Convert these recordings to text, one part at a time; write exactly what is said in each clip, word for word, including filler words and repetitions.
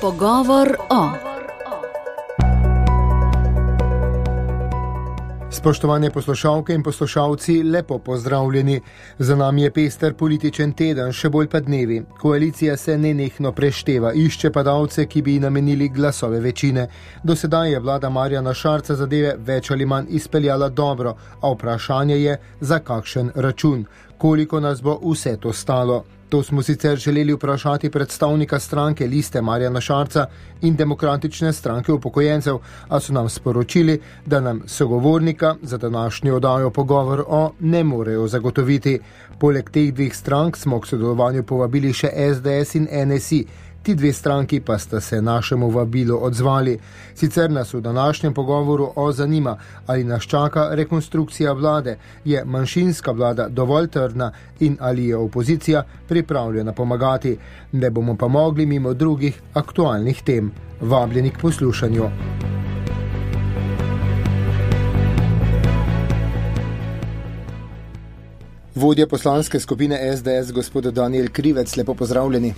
Pogovor o. Spoštovane poslušalke in poslušalci, lepo pozdravljeni. Za nami je pester političen teden, še bolj pa dnevi. Koalicija se nenehno prešteva, išče padalce, ki bi namenili glasove večine. Do sedaj je vlada Marjana Šarca zadeve več ali manj izpeljala dobro, a vprašanje je, za kakšen račun. Koliko nas bo vse to stalo? To smo sicer želeli vprašati predstavnika stranke Liste Marjana Šarca in Demokratične stranke upokojencev, a so nam sporočili, da nam sogovornika za današnjo oddajo Pogovor o ne morejo zagotoviti. Poleg teh dveh strank smo k sodelovanju povabili še S D S in N S I. Ti dve stranki pa sta se našemu vabilu odzvali. Sicer nas v današnjem pogovoru o zanima, ali nas čaka rekonstrukcija vlade, je manjšinska vlada dovolj trdna in ali je opozicija pripravljena pomagati. Ne bomo pa mogli mimo drugih aktualnih tem. Vabljeni k poslušanju. Vodja poslanske skupine S D S, gospod Danijel Krivec, lepo pozdravljeni.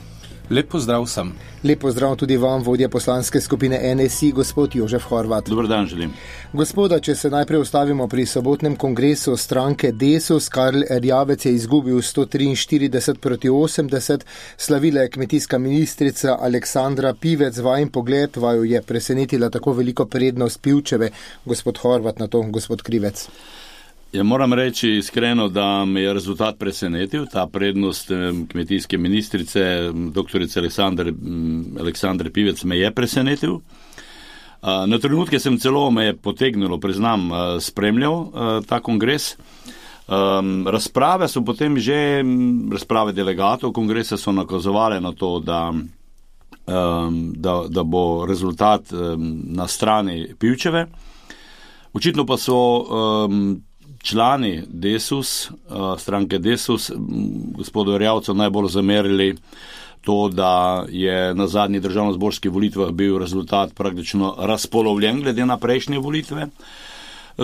Lep pozdrav sem. Lep pozdrav tudi vam, vodja poslanske skupine N S I, gospod Jožef Horvat. Dobar dan želim. Gospoda, če se najprej ustavimo pri sobotnem kongresu stranke Desus, Karl Erjavec je izgubil sto triinštirideset proti osemdeset, slavila je kmetijska ministrica Aleksandra Pivec. Vajen pogled vaju je presenetila tako veliko prednost Pivčeve. Gospod Horvat, na to gospod Krivec. Ja, moram reči iskreno, da me je rezultat presenetil, ta prednost kmetijske ministrice, doktorice Aleksandre, Aleksandre Pivec me je presenetil. Na trenutke sem celo me je potegnilo, priznam, spremljal ta kongres. Razprave so potem že, razprave delegatov kongresa so nakazovale na to, da, da, da bo rezultat na strani Pivčeve. Očitno pa so člani Desus, stranke Desus, gospodu Erjavcu najbolj zamerili to, da je na zadnjih državnozborskih volitvah bil rezultat praktično razpolovljen glede na prejšnje volitve.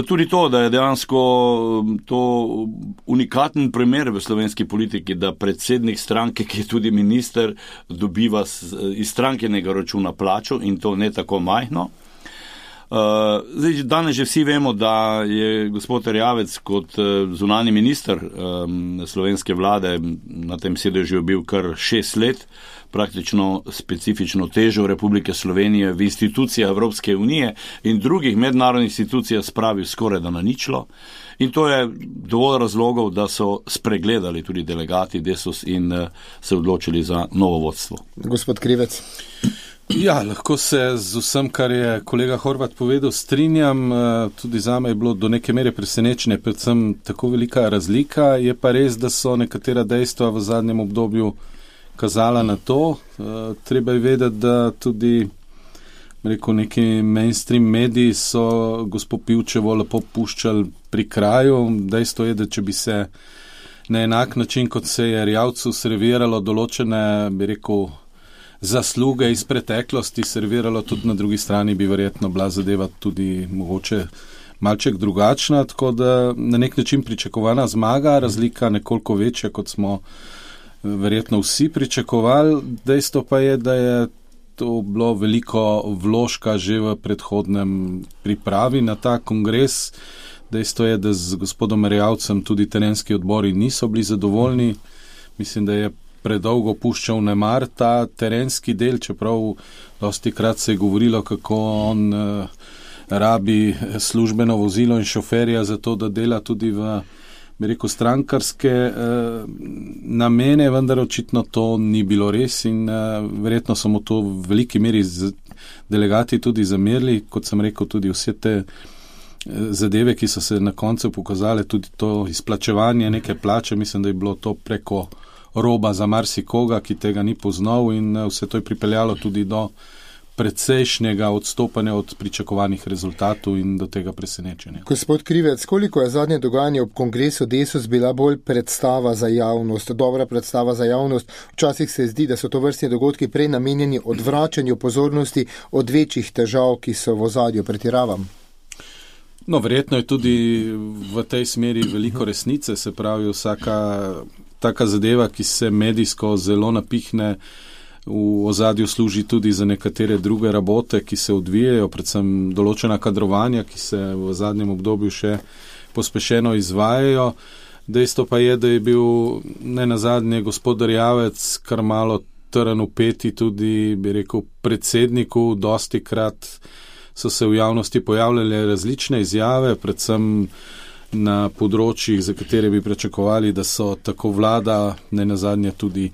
Tudi to, da je dejansko to unikaten primer v slovenski politiki, da predsednik stranke, ki je tudi minister, dobiva iz strankenega računa plačo in to ne tako majhno. Uh, zdaj, danes že vsi vemo, da je gospod Erjavec kot uh, zunanji minister um, slovenske vlade na tem sedežu bil kar šest let, praktično specifično težo Republike Slovenije v institucijah Evropske unije in drugih mednarodnih institucijah spravil skoraj da na ničlo. In to je dovolj razlogov, da so spregledali tudi delegati Desus in uh, se odločili za novo vodstvo. Gospod Krivec. Ja, lahko se z vsem, kar je kolega Horvat povedal, strinjam. Tudi zame je bilo do neke mere presenečenje, predvsem tako velika razlika. Je pa res, da so nekatera dejstva v zadnjem obdobju kazala na to. Treba je vedeti, da tudi rekel, neki mainstream mediji so gospod Pivčevo lepo puščali pri kraju. Dejstvo je, da če bi se na enak način, kot se je Erjavcu serviralo določene, bi rekel, zasluge iz preteklosti, serviralo tudi na drugi strani, bi verjetno bila zadeva tudi mogoče malček drugačna, tako da na nek način pričakovana zmaga, razlika nekoliko večja, kot smo verjetno vsi pričakovali. Dejstvo pa je, da je to bilo veliko vložka že v predhodnem pripravi na ta kongres. Dejstvo je, da z gospodom Erjavcem tudi terenski odbori niso bili zadovoljni. Mislim, da je predolgo puščal nemar ta terenski del, čeprav dosti krat se je govorilo, kako on uh, rabi službeno vozilo in šoferja za to, da dela tudi v, bi rekel, strankarske uh, namene, vendar očitno to ni bilo res in uh, verjetno so mu to v veliki meri z, delegati tudi zamerili, kot sem rekel, tudi vse te uh, zadeve, ki so se na koncu pokazale, tudi to izplačevanje neke plače, mislim, da je bilo to preko roba za marsikoga, ki tega ni poznal in vse to je pripeljalo tudi do predsejšnjega odstopanja od pričakovanih rezultatov in do tega presenečenja. Gospod Krivec, koliko je zadnje dogajanje ob kongresu Desus bila bolj predstava za javnost, dobra predstava za javnost? Včasih se zdi, da so to vrstni dogodki prej namenjeni odvračanju pozornosti od večjih težav, ki so v ozadju, pretiravam. No, verjetno je tudi v tej smeri veliko resnice, se pravi vsaka taka zadeva, ki se medijsko zelo napihne, v ozadju služi tudi za nekatere druge rabote, ki se odvijajo, predvsem določena kadrovanja, ki se v zadnjem obdobju še pospešeno izvajajo. Dejstvo pa je, da je bil ne nazadnje gospod Erjavec kar malo trn v peti tudi, bi rekel, predsedniku. Dosti krat so se v javnosti pojavljale različne izjave, predvsem na področjih, za katere bi pričakovali, da so tako vlada, ne nazadnje tudi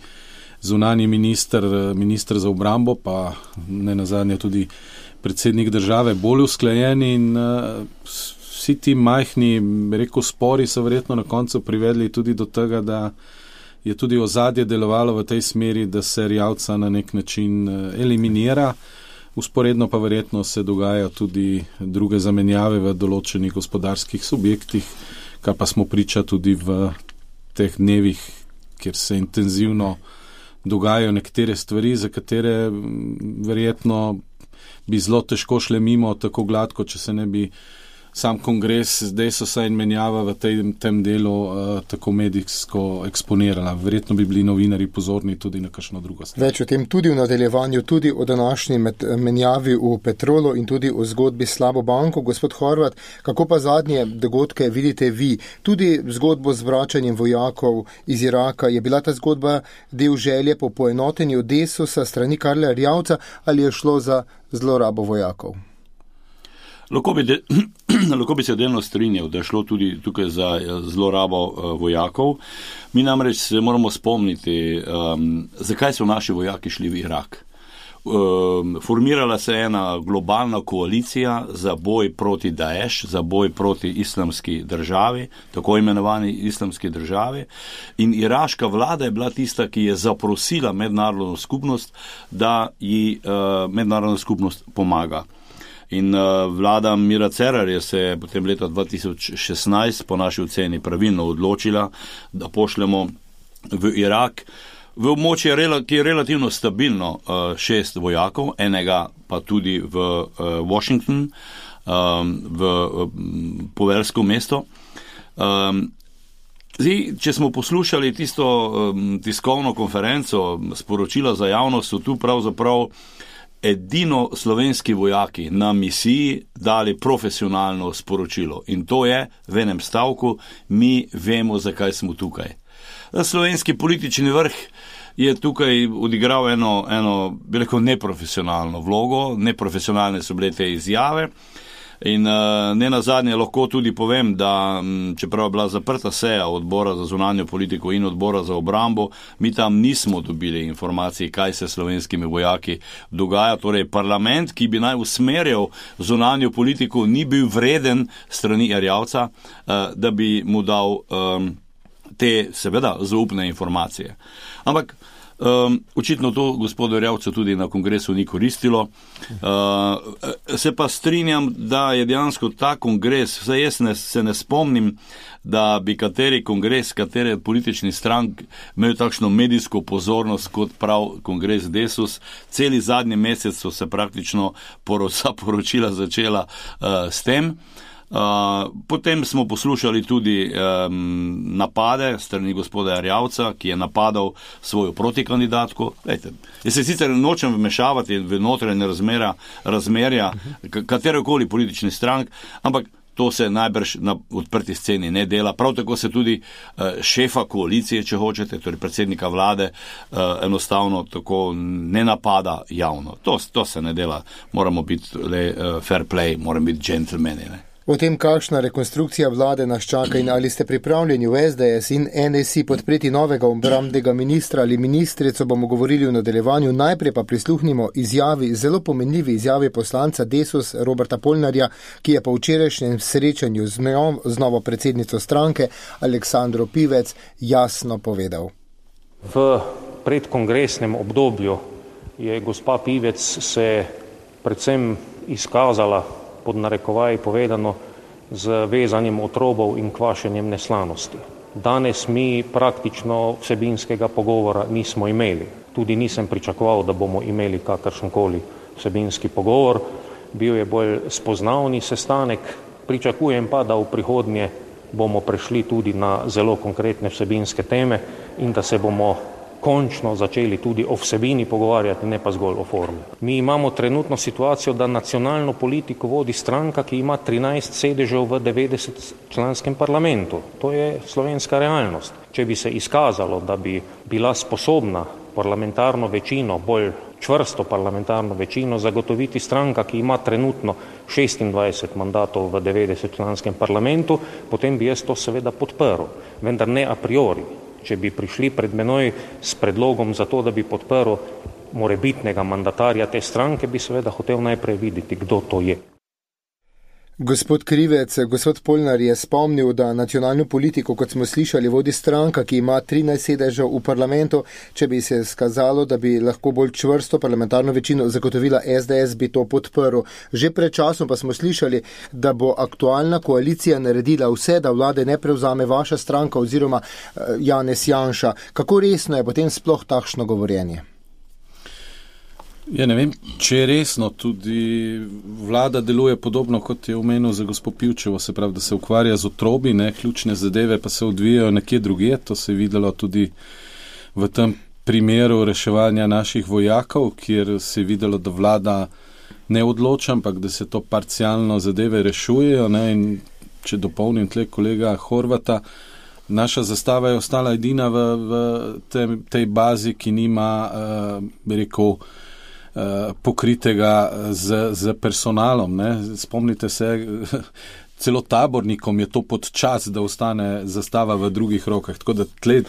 zunanji minister, minister za obrambo, pa ne nazadnje tudi predsednik države bolj usklajeni in uh, vsi ti majhni, rekel, spori so verjetno na koncu privedli tudi do tega, da je tudi ozadje delovalo v tej smeri, da se Erjavca na nek način uh, eliminira. Usporedno pa verjetno se dogajajo tudi druge zamenjave v določenih gospodarskih subjektih, kar pa smo priča tudi v teh dnevih, kjer se intenzivno dogajajo nekatere stvari, za katere verjetno bi zelo težko šle mimo tako gladko, če se ne bi sam kongres Desusa in menjava v tem, tem delu uh, tako medijsko eksponirala. Verjetno bi bili novinari pozorni tudi na kakšno drugo stvar. Več o tem tudi v nadaljevanju, tudi o današnji menjavi v Petrolu in tudi o zgodbi s slabo banko. Gospod Horvat, kako pa zadnje dogodke vidite vi? Tudi zgodbo z vračanjem vojakov iz Iraka, je bila ta zgodba del želje po poenotenju Desusa strani Karla Erjavca ali je šlo za zlorabo vojakov? Lahko bi, de, lahko bi se delno strinjal, da je šlo tudi tukaj za zlorabo uh, vojakov. Mi namreč se moramo spomniti, um, zakaj so naši vojaki šli v Irak. Um, formirala se je ena globalna koalicija za boj proti Daesh, za boj proti islamski državi, tako imenovani islamski državi. In iraška vlada je bila tista, ki je zaprosila mednarodno skupnost, da ji uh, mednarodna skupnost pomaga. In uh, vlada Mira Cerarja se je potem leta dva tisoč šestnajst po naši oceni pravilno odločila, da pošljemo v Irak v območje, ki je relativno stabilno, uh, šest vojakov, enega pa tudi v uh, Washington, um, v um, poveljsko mesto. Um, zdaj, če smo poslušali tisto um, tiskovno konferenco, sporočila za javnost, so tu pravzaprav edino slovenski vojaki na misiji dali profesionalno sporočilo. In to je v enem stavku: mi vemo, zakaj smo tukaj. Slovenski politični vrh je tukaj odigral eno, eno bi rekel, neprofesionalno vlogo, neprofesionalne so bile te izjave. In uh, ne nazadnje lahko tudi povem, da m, čeprav je bila zaprta seja odbora za zunanjo politiko in odbora za obrambo, mi tam nismo dobili informacij, kaj se s slovenskimi vojaki dogaja. Torej parlament, ki bi naj usmerjal zunanjo politiko, ni bil vreden strani Erjavca, uh, da bi mu dal um, te seveda zaupne informacije. Ampak Um, očitno to gospodu Erjavcu tudi na kongresu ni koristilo. Uh, se pa strinjam, da je dejansko ta kongres, vsaj jaz ne, se ne spomnim, da bi kateri kongres, katere politični strank imel takšno medijsko pozornost kot prav kongres Desus. Celi zadnji mesec so se praktično poroca poročila začela uh, s tem. Uh, potem smo poslušali tudi um, napade strani gospoda Erjavca, ki je napadal svojo protikandidatko. Lejte, jaz se sicer nočem vmešavati v notranje razmera, razmerja katerekoli politični strank, ampak to se najbrž na odprti sceni ne dela. Prav tako se tudi uh, šefa koalicije, če hočete, torej predsednika vlade, uh, enostavno tako ne napada javno. To, to se ne dela. Moramo biti le uh, fair play, moramo biti džentlmeni, ne. O tem, kakšna rekonstrukcija vlade nas čaka in ali ste pripravljeni v S D S in N S I podpreti novega obrambnega ministra ali ministrico, bomo govorili v nadaljevanju. Najprej pa prisluhnimo izjavi, zelo pomenljivi izjavi poslanca Desus Roberta Polnarja, ki je po včerajšnjem srečanju z, njo, z novo predsednico stranke Aleksandro Pivec jasno povedal. V predkongresnem obdobju je gospa Pivec se predvsem izkazala, pod narekovaji povedano, z vezanjem otrobov in kvašenjem neslanosti. Danes mi praktično vsebinskega pogovora nismo imeli. Tudi nisem pričakoval, da bomo imeli kakršenkoli vsebinski pogovor. Bil je bolj spoznavni sestanek. Pričakujem pa, da v prihodnje bomo prešli tudi na zelo konkretne vsebinske teme in da se bomo končno začeli tudi o vsebini pogovarjati, ne pa zgolj o formi. Mi imamo trenutno situacijo, da nacionalno politiko vodi stranka, ki ima trinajst sedežev v devetdesetčlanskem parlamentu. To je slovenska realnost. Če bi se izkazalo, da bi bila sposobna parlamentarno večino, bolj čvrsto parlamentarno večino zagotoviti stranka, ki ima trenutno šestindvajset mandatov v devetdesetčlanskem parlamentu, potem bi jaz to seveda podprl, vendar ne a priori. Če bi prišli pred menoj s predlogom za to, da bi podprl morebitnega mandatarja te stranke, bi seveda hotel najprej videti, kdo to je. Gospod Krivec, gospod Polnar je spomnil, da nacionalno politiko, kot smo slišali, vodi stranka, ki ima trinajst sedežev v parlamentu. Če bi se skazalo, da bi lahko bolj čvrsto parlamentarno večino zagotovila es de es, bi to podprl. Že pred časom pa smo slišali, da bo aktualna koalicija naredila vse, da vlade ne prevzame vaša stranka oziroma Janez Janša. Kako resno je potem sploh takšno govorjenje? Ja, ne vem, če je resno, tudi vlada deluje podobno, kot je omenil za gospod Pivčevo, se pravi, da se ukvarja z otrobi, ne, ključne zadeve pa se odvijajo nekje drugje, to se je videlo tudi v tem primeru reševanja naših vojakov, kjer se je videlo, da vlada ne odloča, ampak da se to parcialno zadeve rešujejo, ne, in če dopolnim tle kolega Horvata, naša zastava je ostala edina v, v tej, tej bazi, ki nima, uh, bi rekel, pokritega z, z personalom. Ne. Spomnite se, celo tabornikom je to pod čas, da ostane zastava v drugih rokah. Tako da tle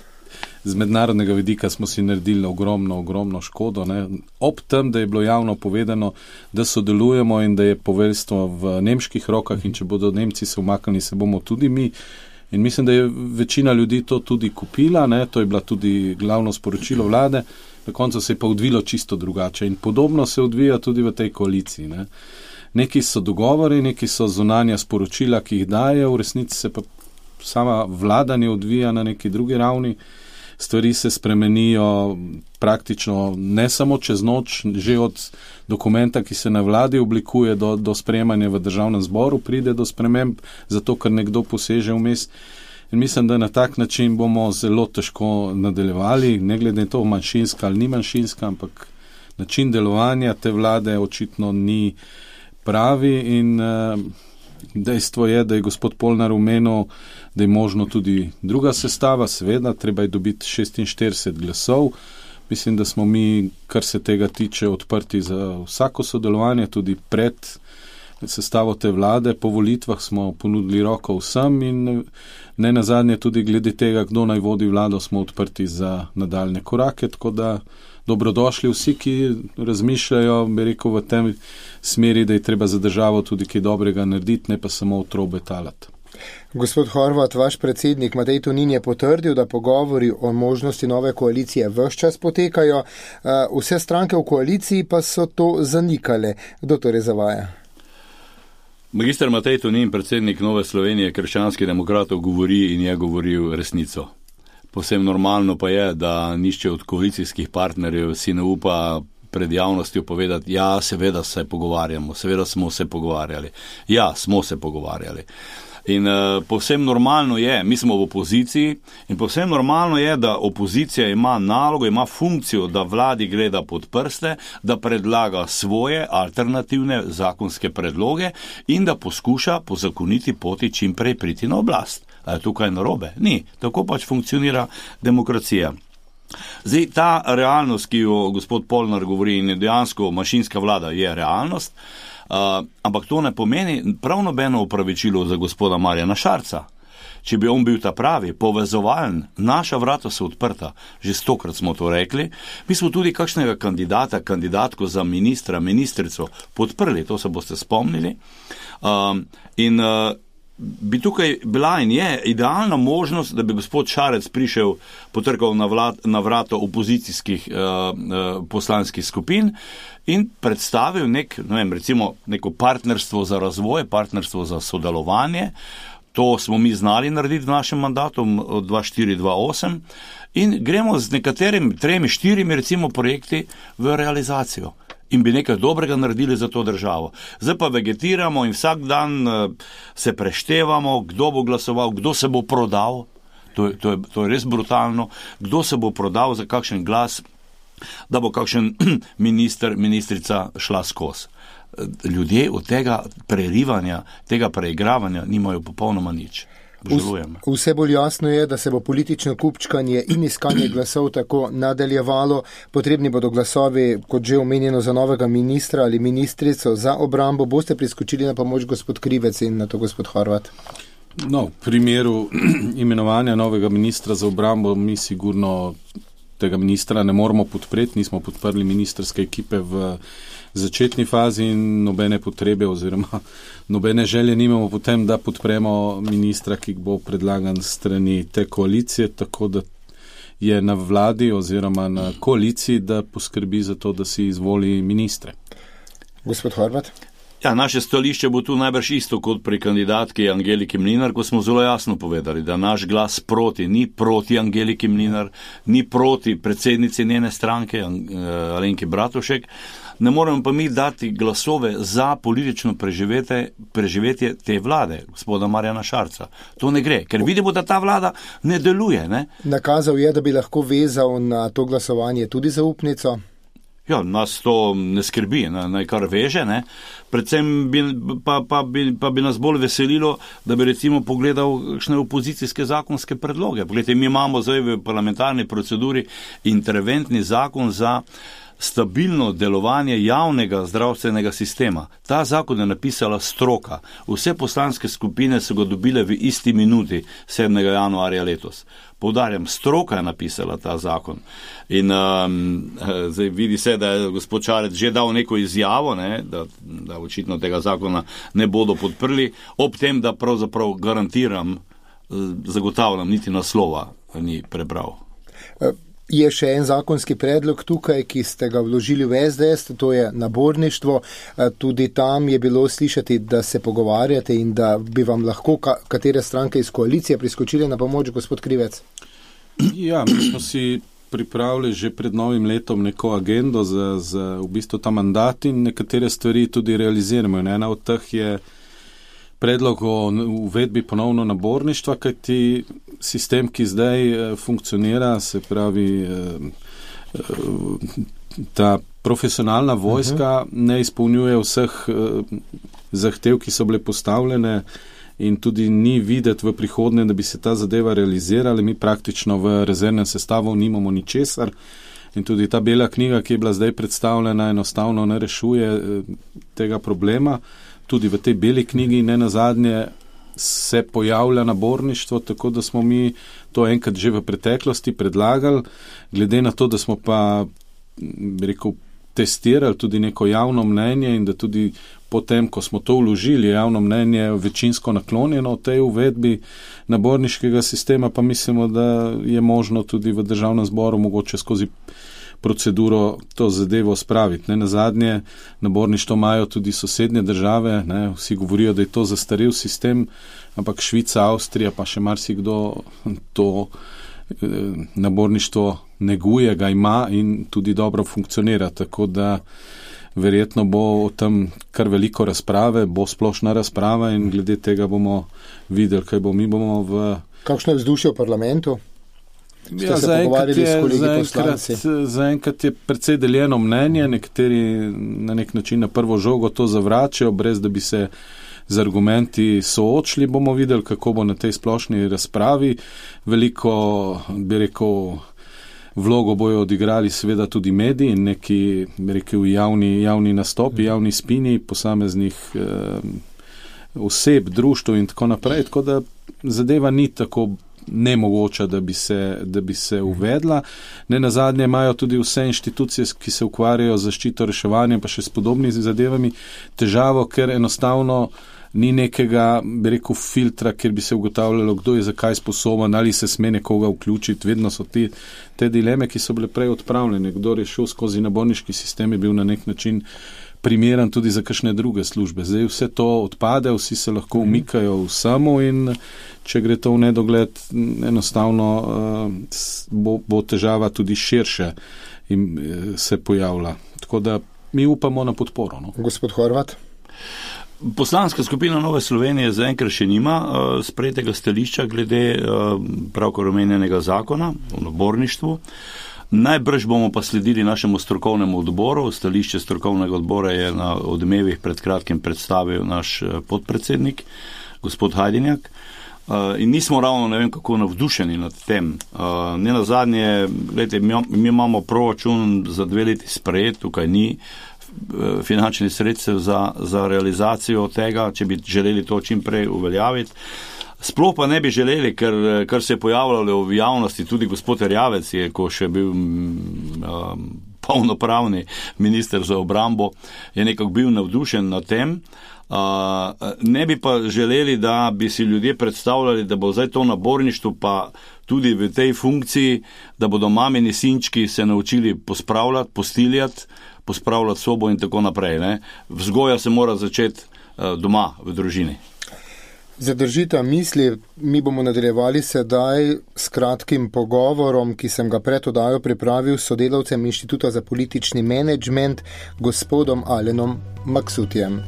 z mednarodnega vidika smo si naredili ogromno, ogromno škodo. Ne. Ob tem, da je bilo javno povedano, da sodelujemo in da je poveljstvo v nemških rokah in če bodo Nemci se umaknili, se bomo tudi mi. In mislim, da je večina ljudi to tudi kupila, ne. To je bila tudi glavno sporočilo vlade. Na koncu se je pa odvilo čisto drugače in podobno se odvija tudi v tej koaliciji. Ne. Neki so dogovori, neki so zunanja sporočila, ki jih daje, v resnici se pa sama vladanje odvija na neki drugi ravni. Stvari se spremenijo praktično ne samo čez noč, že od dokumenta, ki se na vladi oblikuje, do, do sprejemanja v državnem zboru pride do sprememb, zato ker nekdo poseže vmes. In mislim, da na tak način bomo zelo težko nadaljevali, ne glede na to manjšinska ali ni manjšinska, ampak način delovanja te vlade očitno ni pravi in uh, dejstvo je, da je gospod Polnar omenil, da je možno tudi druga sestava, seveda, treba je dobiti šestinštirideset glasov. Mislim, da smo mi, kar se tega tiče, odprti za vsako sodelovanje, tudi pred sestavo te vlade. Po volitvah smo ponudili roko vsem in ne nazadnje tudi glede tega, kdo naj vodi vlado, smo odprti za nadaljne korake, tako da dobrodošli vsi, ki razmišljajo, bi rekel, v tem smeri, da je treba za državo tudi kaj dobrega narediti, ne pa samo otrobe talati. Gospod Horvat, vaš predsednik Matej Tonin je potrdil, da pogovori o možnosti nove koalicije ves čas potekajo. Vse stranke v koaliciji pa so to zanikale. Kdo torej zavaja? Magister Matej Tonin, predsednik Nove Slovenije krščanskih demokratov, govori in je govoril resnico. Povsem normalno pa je, da nišče od koalicijskih partnerjev si ne upa pred javnostjo povedati, ja, seveda se pogovarjamo, seveda smo se pogovarjali. Ja, smo se pogovarjali. In uh, povsem normalno je, mi smo v opoziciji in povsem normalno je, da opozicija ima nalogo, ima funkcijo, da vladi gleda pod prste, da predlaga svoje alternativne zakonske predloge in da poskuša po zakoniti poti čim prej priti na oblast. A je tukaj narobe? Ni. Tako pač funkcionira demokracija. Zdaj, ta realnost, ki jo gospod Polnar govori in je dejansko mašinska vlada, je realnost, uh, ampak to ne pomeni prav nobeno upravičilo za gospoda Marjana Šarca. Če bi on bil ta pravi, povezovalen, naša vrata so odprta, že stokrat smo to rekli, mi smo tudi kakšnega kandidata, kandidatko za ministra, ministrico podprli, to se boste spomnili. Uh, in uh, bi tukaj bila in je idealna možnost, da bi gospod Šarec prišel, potrkal na, vlad, na vrato opozicijskih uh, uh, poslanskih skupin in predstavil nek, ne vem, recimo neko partnerstvo za razvoj, partnerstvo za sodelovanje. To smo mi znali narediti v našem mandatu dva štiri dva osem in gremo z nekaterimi, tremi, štirimi recimo projekti v realizacijo. In bi nekaj dobrega naredili za to državo. Zdaj pa vegetiramo in vsak dan se preštevamo, kdo bo glasoval, kdo se bo prodal. To je, to je, to je res brutalno. Kdo se bo prodal za kakšen glas, da bo kakšen minister, ministrica šla skozi? Ljudje od tega prerivanja, tega preigravanja nimajo popolnoma nič. Vse bolj jasno je, da se bo politično kupčkanje in iskanje glasov tako nadaljevalo. Potrebni bodo glasovi, kot že omenjeno, za novega ministra ali ministrico za obrambo. Boste priskočili na pomoč gospod Krivec in na to gospod Horvat? No, v primeru imenovanja novega ministra za obrambo mi sigurno tega ministra ne moramo podpreti. Nismo podprli ministrske ekipe v začetni fazi in nobene potrebe oziroma nobene želje nimamo potem, da podpremo ministra, ki bo predlagan strani te koalicije, tako da je na vladi oziroma na koaliciji, da poskrbi za to, da si izvoli ministre. Gospod Horvat? Ja, naše stališče bo tu najbrž isto kot pri kandidatki Angeliki Mlinar, ko smo zelo jasno povedali, da naš glas proti, ni proti Angeliki Mlinar, ni proti predsednici njene stranke Alenki Bratušek. Ne moremo pa mi dati glasove za politično preživetje, preživetje te vlade, gospoda Marjana Šarca. To ne gre, ker vidimo, da ta vlada ne deluje. Ne? Nakazal je, da bi lahko vezal na to glasovanje tudi zaupnico. Ja, nas to ne skrbi, naj kar veže, ne. Predvsem bi, pa, pa, bi, pa bi nas bolj veselilo, da bi recimo pogledal kakšne opozicijske zakonske predloge. Poglejte, mi imamo zdaj v parlamentarni proceduri interventni zakon za stabilno delovanje javnega zdravstvenega sistema. Ta zakon je napisala stroka. Vse poslanske skupine so ga dobile v isti minuti sedmega januarja letos. Poudarjam, stroka je napisala ta zakon. In um, zdaj vidi se, da je gospod Šarec že dal neko izjavo, ne, da, da očitno tega zakona ne bodo podprli, ob tem, da pravzaprav garantiram, zagotavljam, niti naslova ni prebral. Je še en zakonski predlog tukaj, ki ste ga vložili v S D S, to je naborništvo. Tudi tam je bilo slišati, da se pogovarjate in da bi vam lahko katere stranke iz koalicije priskočili na pomoč, gospod Krivec. Ja, mi smo si pripravili že pred novim letom neko agendo za, za v bistvu ta mandat in nekatere stvari tudi realiziramo. In ena od teh je predlog o uvedbi ponovno naborništva, kajti sistem, ki zdaj funkcionira, se pravi ta profesionalna vojska, ne izpolnjuje vseh zahtev, ki so bile postavljene in tudi ni videti v prihodnje, da bi se ta zadeva realizirala. Mi praktično v rezervnem sestavu nimamo ničesar in tudi ta bela knjiga, ki je bila zdaj predstavljena, enostavno ne rešuje tega problema. Tudi v tej beli knjigi ne nazadnje se pojavlja naborništvo, tako da smo mi to enkrat že v preteklosti predlagali, glede na to, da smo pa, bi rekel, testirali tudi neko javno mnenje in da tudi potem, ko smo to vložili, javno mnenje večinsko naklonjeno v tej uvedbi naborniškega sistema, pa mislimo, da je možno tudi v državnem zboru mogoče skozi proceduro to zadevo spraviti. Ne, na zadnje naborništvo imajo tudi sosednje države, ne, vsi govorijo, da je to zastarel sistem, ampak Švica, Avstrija pa še marsikdo to eh, naborništvo neguje, ga ima in tudi dobro funkcionira, tako da verjetno bo o tem kar veliko razprave, bo splošna razprava in glede tega bomo videli, kaj bo. Mi bomo v... Kakšno je vzdušje v parlamentu? Ja, zaenkrat je, za je precej deljeno mnenje, nekateri na nek način na prvo žogo to zavračajo, brez da bi se z argumenti soočili. Bomo videli, kako bo na tej splošni razpravi. Veliko, bi rekel, vlogo bojo odigrali seveda tudi mediji in neki, bi rekel, javni, javni nastopi, javni spini posameznih eh, oseb, društv in tako naprej. Tako da zadeva ni tako nemogoča, da bi se, da bi se uvedla. Ne nazadnje imajo tudi vse inštitucije, ki se ukvarjajo z zaščito, reševanjem, pa še s podobnimi zadevami, težavo, ker enostavno ni nekega, bi rekel, filtra, kjer bi se ugotavljalo, kdo je zakaj sposoben, ali se sme nekoga vključiti. Vedno so te, te dileme, ki so bile prej odpravljene. Kdo je šel skozi naborniški sistem, je bil na nek način primeren tudi za kakšne druge službe. Zdaj vse to odpade, vsi se lahko umikajo vsemu in če gre to v nedogled, enostavno uh, bo, bo težava tudi širše in uh, se pojavlja. Tako da mi upamo na podporo. No. Gospod Horvat? Poslanska skupina Nove Slovenije zaenkrat še nima uh, sprejetega stališča glede uh, pravkar omenjenega zakona o naborništvu. Najbrž bomo pa sledili našemu strokovnemu odboru. Stališče strokovnega odbora je na Odmevih pred kratkim predstavil naš podpredsednik, gospod Hajdinjak. In nismo ravno ne vem kako navdušeni nad tem. Ne nazadnje, gledajte, mi imamo proračun za dve leti sprejet, tukaj ni finančnih sredstev za, za realizacijo tega, če bi želeli to čim prej uveljaviti. Sploh pa ne bi želeli, ker, kar se je pojavljalo v javnosti, tudi gospod Erjavec je, ko še bil um, polnopravni minister za obrambo, je nekako bil navdušen nad tem. Uh, ne bi pa želeli, da bi si ljudje predstavljali, da bo zdaj to naborništvo pa tudi v tej funkciji, da bodo mamini sinčki se naučili pospravljati, postiljati, pospravljati sobo in tako naprej. Ne? Vzgoja se mora začeti uh, doma, v družini. Zadržita misli, mi bomo nadaljevali sedaj s kratkim pogovorom, ki sem ga pred oddajo pripravil s sodelavcem Inštituta za politični menedžment, gospodom Alenom Maksutijem.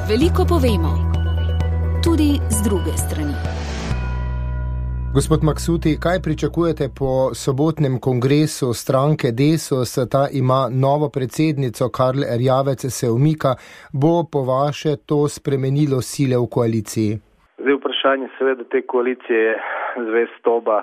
Veliko povemo, tudi z druge strani. Gospod Maksuti, kaj pričakujete po sobotnem kongresu stranke Desus? Ta ima novo predsednico, Karl Erjavec se umika. Bo po vaše to spremenilo sile v koaliciji? Zdaj vprašanje seveda te koalicije je zvestoba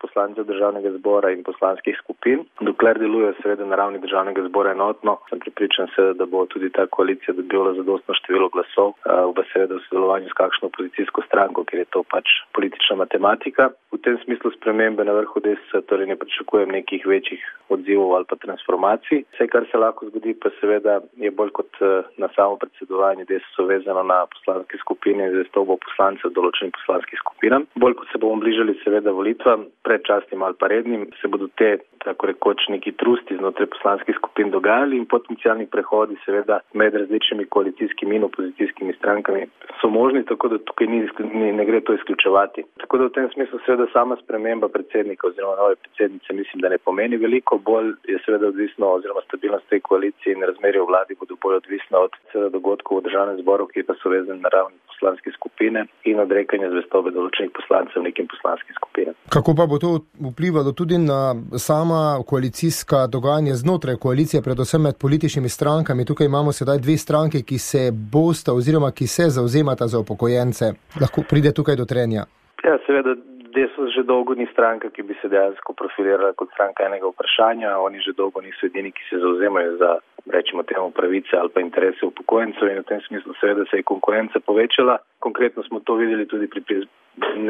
poslancev državnega zbora in poslanskih skupin. Dokler delujejo seveda na ravni državnega zbora enotno, sem pripričan seveda, da bo tudi ta koalicija dobila zadostno število glasov, v seveda v sodelovanju s kakšno opozicijsko stranko, ker je to pač politična matematika. V tem smislu spremembe na vrhu Desusa torej ne pričakujem nekih večjih odzivov ali pa transformacij. Vse, kar se lahko zgodi, pa seveda je bolj kot na samo predsedovanje Desusa vezano na poslanske skupine in zvestobo poslancev določenim poslanskih skupinam. Bolj kot se bomo bližali seveda volitvam, predčasnim ali pa rednim, se bodo te, tako rekoč, neki trusti znotraj poslanskih skupin dogajali in potencialni prehodi seveda med različnimi koalicijskimi in opozicijskimi strankami so možni, tako da tukaj ni, ni, ne gre to izključevati. Tako da v tem smislu seveda sama sprememba predsednika oziroma nove predsednice mislim, da ne pomeni veliko, bolj je seveda odvisno oziroma stabilnost tej koaliciji in razmerje v vladi bodo bolj odvisno od seveda dogodkov v državnem zboru, ki pa so vezani na ravni poslanske skupine in odrekanja zvestobe določenih poslancev nekim poslanskim skupinam. Kako pa bo to vplivalo tudi na sama koalicijska dogajanja znotraj koalicije, predvsem med političnimi strankami? Tukaj imamo sedaj dve stranke, ki se bosta oziroma ki se zauzemata za upokojence. Lahko pride tukaj do trenja? Ja, seveda, Desus že dolgo ni stranka, ki bi se dejansko profilirala kot stranka enega vprašanja. Oni že dolgo niso edini, ki se zauzemajo za, rečimo temu, pravice ali pa interese upokojencev in v tem smislu seveda se je konkurenca povečala. Konkretno smo to videli tudi pri, pri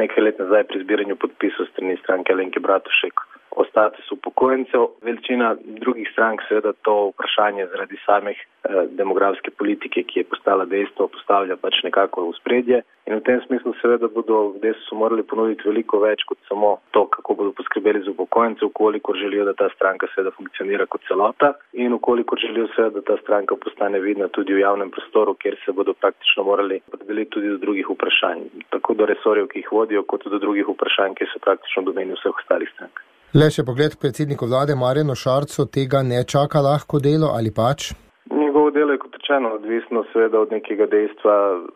nekaj let nazaj pri zbiranju podpisov strani stranke Alenke Bratušek o statusu upokojencev. Veličina drugih strank seveda to vprašanje zaradi samih eh, demografske politike, ki je postala dejstvo, postavlja pač nekako v spredje. In v tem smislu seveda bodo v Desusu morali ponuditi veliko več kot samo to, kako bodo poskrbeli za upokojence, ukolikor želijo, da ta stranka seveda funkcionira kot celota in ukolikor želijo seveda, da ta stranka postane vidna tudi v javnem prostoru, kjer se bodo praktično morali podeliti tudi do drugih vprašanj. Tako do resorjev, ki jih vodijo, kot do drugih vprašanj, ki so praktično v domeni vseh ostalih strank. Le še pogled k predsedniku vlade Marjanu Šarcu, tega ne čaka lahko delo ali pač? Njegovo delo je kot rečeno odvisno seveda od nekega dejstva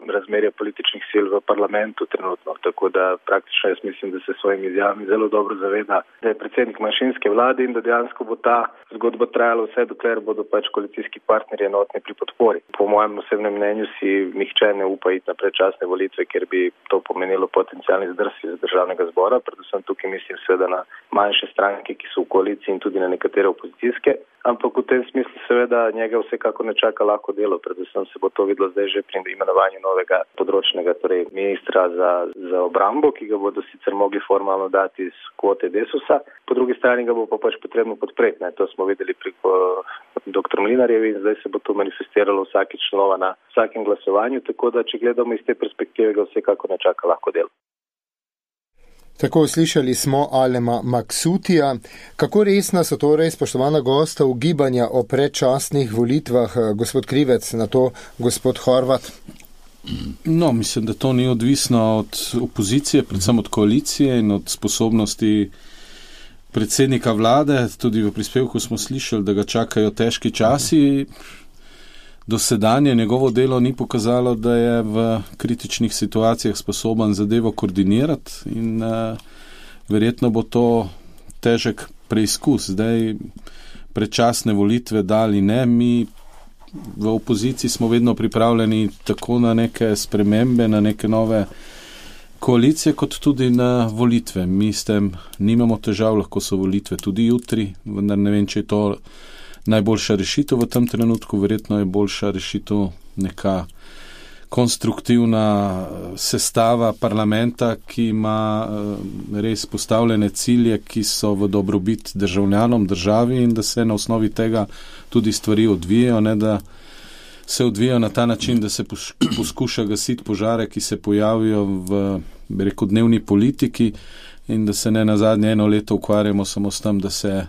razmerja političnih sil v parlamentu trenutno, tako da praktično jaz mislim, da se svojimi izjavami zelo dobro zaveda, da je predsednik manjšinske vlade in da dejansko bo ta zgodba trajala vse, dokler bodo pač koalicijski partnerji enotni pri podpori. Po mojem osebnem mnenju si nihče ne upa iti na predčasne volitve, ker bi to pomenilo potencialni zdrsi za državnega zbora, predvsem tukaj mislim seveda na manjše stranke, ki so v koaliciji in tudi na nekatere opozicijske. Ampak v tem smislu seveda njega vsekako ne čaka lahko delo, predvsem se bo to videlo zdaj že pri imenovanju novega področnega, torej ministra za, za obrambo, ki ga bodo sicer mogli formalno dati iz kvote Desusa, po drugi strani ga bo pa pač potrebno podpreti. Ne? To smo videli preko dr. Mlinarjevi in zdaj se bo to manifestiralo vsakič nova na vsakem glasovanju, tako da če gledamo iz te perspektive, ga vsekako ne čaka lahko delo. Tako slišali smo Alema Maksutija. Kako resna so torej, spoštovana gosta, ugibanja o predčasnih volitvah, gospod Krivec, na to gospod Horvat? No, mislim, da to ni odvisno od opozicije, predvsem od koalicije in od sposobnosti predsednika vlade. Tudi v prispevku smo slišali, da ga čakajo težki časi. dosedanje njegovo delo ni pokazalo, da je v kritičnih situacijah sposoben zadevo koordinirati in uh, verjetno bo to težek preizkus. Zdaj predčasne volitve dali ne, mi v opoziciji smo vedno pripravljeni tako na neke spremembe, na neke nove koalicije, kot tudi na volitve. Mi s tem nimamo težav, lahko so volitve tudi jutri, vendar ne vem, če je to najboljša rešitev v tem trenutku, verjetno je boljša rešitev neka konstruktivna sestava parlamenta, ki ima res postavljene cilje, ki so v dobrobit državljanom, državi in da se na osnovi tega tudi stvari odvijajo, ne da se odvijajo na ta način, da se poskuša gasiti požare, ki se pojavijo v, bi rekel, dnevni politiki in da se ne nazadnje eno leto ukvarjamo samo s tem, da se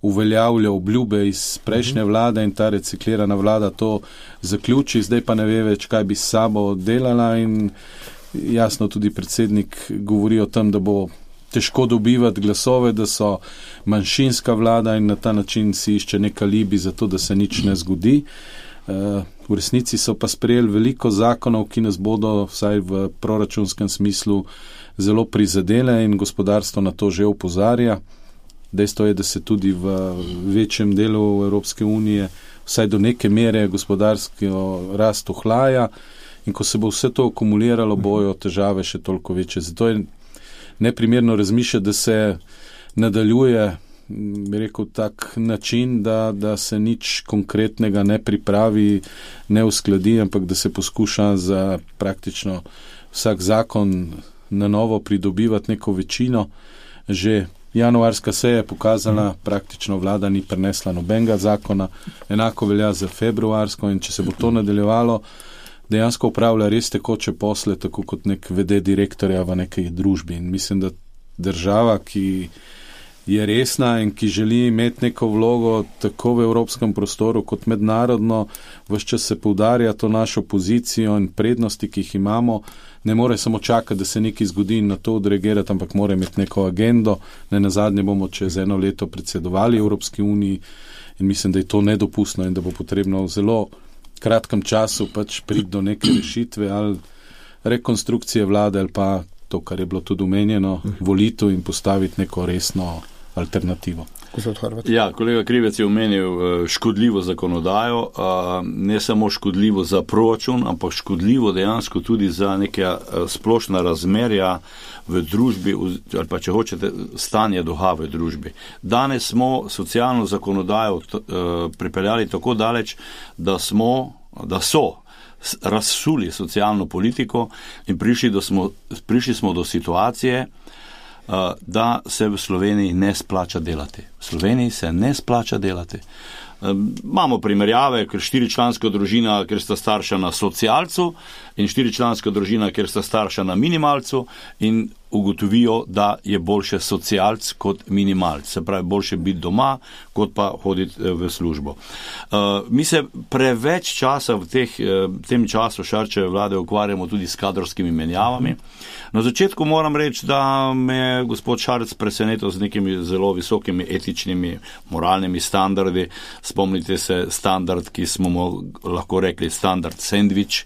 uveljavlja obljube iz prejšnje vlade in ta reciklirana vlada to zaključi, zdaj pa ne ve več, kaj bi s sabo delala in jasno tudi predsednik govori o tem, da bo težko dobivati glasove, da so manjšinska vlada in na ta način si išče nek alibi za to, da se nič ne zgodi. V resnici so pa sprejeli veliko zakonov, ki nas bodo vsaj v proračunskem smislu zelo prizadele in gospodarstvo na to že opozarja. Dejstvo je, da se tudi v večjem delu Evropske unije vsaj do neke mere gospodarsko rast ohlaja in ko se bo vse to akumuliralo, bojo težave še toliko večje. Zato je neprimerno razmišljati, da se nadaljuje, bi rekel, tak način, da, da se nič konkretnega ne pripravi, ne uskladi, ampak da se poskuša za praktično vsak zakon na novo pridobivati neko večino. Že januarska seja je pokazala, praktično vlada ni prenesla nobenega zakona, enako velja za februarsko in če se bo to nadaljevalo, dejansko upravlja res tekoče posle, tako kot nek vede direktorja v nekaj družbi. In mislim, da država, ki je resna in ki želi imeti neko vlogo tako v evropskem prostoru kot mednarodno, ves čas se poudarja to našo pozicijo in prednosti, ki jih imamo, ne more samo čakati, da se nekaj zgodi in na to odreagirati, ampak mora imeti neko agendo. Ne nazadnje bomo čez eno leto predsedovali Evropski uniji in mislim, da je to nedopustno in da bo potrebno v zelo kratkem času pač priti do neke rešitve ali rekonstrukcije vlade ali pa to, kar je bilo tudi omenjeno, volitev in postaviti neko resno alternativo. Ja, kolega Krivec je omenil škodljivo zakonodajo, ne samo škodljivo za proračun, ampak škodljivo dejansko tudi za neke splošna razmerja v družbi, ali pa če hočete, stanje duha v družbi. Danes smo socialno zakonodajo pripeljali tako daleč, da smo, da so razsuli socialno politiko in prišli, do smo, prišli smo do situacije, da se v Sloveniji ne splača delati. V Sloveniji se ne splača delati. Imamo primerjave, ker štiričlanska družina, ker sta starša na socialcu in štiričlanska družina, ker sta starša na minimalcu in ugotovijo, da je boljše socialc kot minimalc. Se pravi, boljše biti doma, kot pa hoditi v službo. Mi se preveč časa v teh, tem času Šarčeve vlade ukvarjamo tudi s kadrovskimi menjavami. Na začetku moram reči, da me je gospod Šarec presenetil z nekimi zelo visokimi etičnimi, moralnimi standardi. Spomnite se standard, ki smo mu lahko rekli standard sandvič,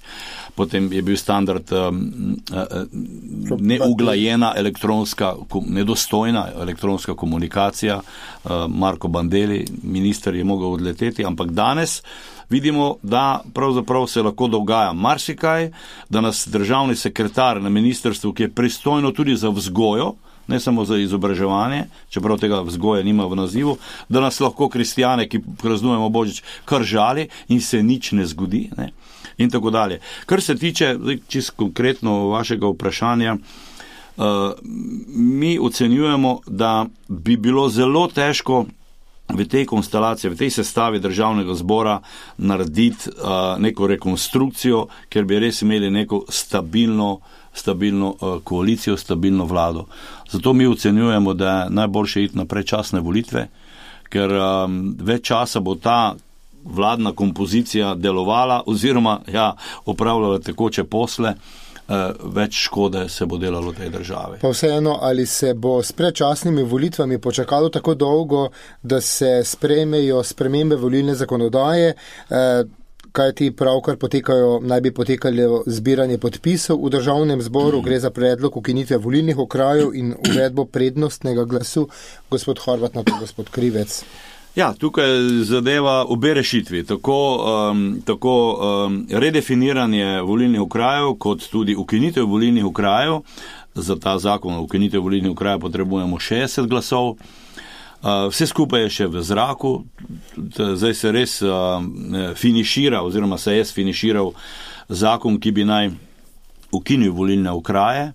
potem je bil standard um, uh, neuglajena elektronska, nedostojna elektronska komunikacija. Uh, Marko Bandelli, minister, je mogel odleteti, ampak danes vidimo, da pravzaprav se lahko dogaja marsikaj, da nas državni sekretar na ministrstvu, ki je pristojno tudi za vzgojo, ne samo za izobraževanje, čeprav tega vzgoja nima v nazivu, da nas lahko kristjane, ki praznujemo Božič, kar žali in se nič ne zgodi, ne? In tako dalje. Kar se tiče, čisto konkretno vašega vprašanja, uh, mi ocenjujemo, da bi bilo zelo težko v tej konstelaciji, v tej sestavi državnega zbora narediti uh, neko rekonstrukcijo, ker bi res imeli neko stabilno, stabilno uh, koalicijo, stabilno vlado. Zato mi ocenjujemo, da je najboljše iti na predčasne volitve, ker um, več časa bo ta vladna kompozicija delovala oziroma ja, opravljala tekoče posle, več škode se bo delalo tej državi. Pa vseeno, ali se bo s predčasnimi volitvami počakalo tako dolgo, da se sprejmejo spremembe volilne zakonodaje, kaj ti pravkar potekajo, naj bi potekalo zbiranje podpisov v državnem zboru, gre za predlog ukinitve volilnih okrajev in uvedbo prednostnega glasu. Gospod Horvat, na to gospod Krivec. Ja, tukaj zadeva obe rešitvi, tako, um, tako um, redefiniranje volilnih okrajev, kot tudi ukinitev volilnih okrajev. Za ta zakon o ukinitev volilnih okrajev potrebujemo šestdeset glasov. Uh, vse skupaj je še v zraku, zdaj se res uh, finišira, oziroma se je finiširal zakon, ki bi naj ukinil volilne okraje.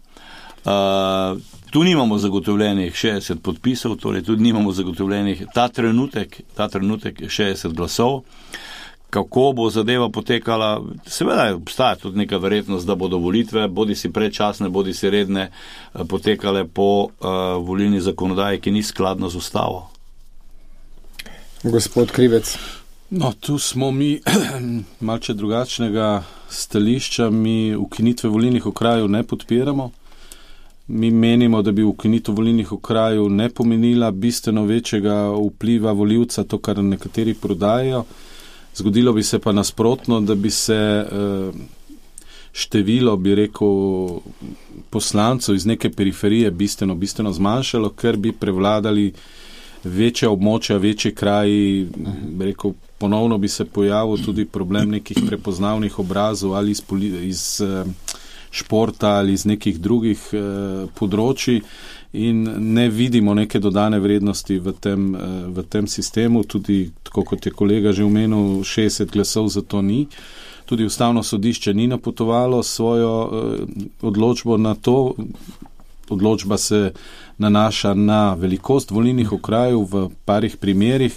Uh, Tu nimamo zagotovljenih šestdeset podpisov, torej tudi nimamo zagotovljenih ta trenutek, ta trenutek šestdeset glasov. Kako bo zadeva potekala? Seveda obstaja tudi neka verjetnost, da bodo volitve, bodi si predčasne, bodi si redne, potekale po uh, volilni zakonodaji, ki ni skladna z ustavo. Gospod Krivec. No, tu smo mi malce drugačnega stališča, mi ukinitve volilnih okrajev ne podpiramo. Mi menimo, da bi ukinitev volilnih okrajev ne pomenila bistveno večjega vpliva volivca, to, kar nekateri prodajajo. Zgodilo bi se pa nasprotno, da bi se število, bi rekel, poslancev iz neke periferije bistveno, bistveno zmanjšalo, ker bi prevladali večja območja, večji kraji, bi rekel, ponovno bi se pojavil tudi problem nekih prepoznavnih obrazov ali iz, iz športa ali iz nekih drugih eh, področji in ne vidimo neke dodane vrednosti v tem, eh, v tem sistemu, tudi tako kot je kolega že omenil, šestdeset glasov za to ni. Tudi Ustavno sodišče ni napotovalo svojo eh, odločbo na to. Odločba se nanaša na velikost volilnih okrajev v parih primerih.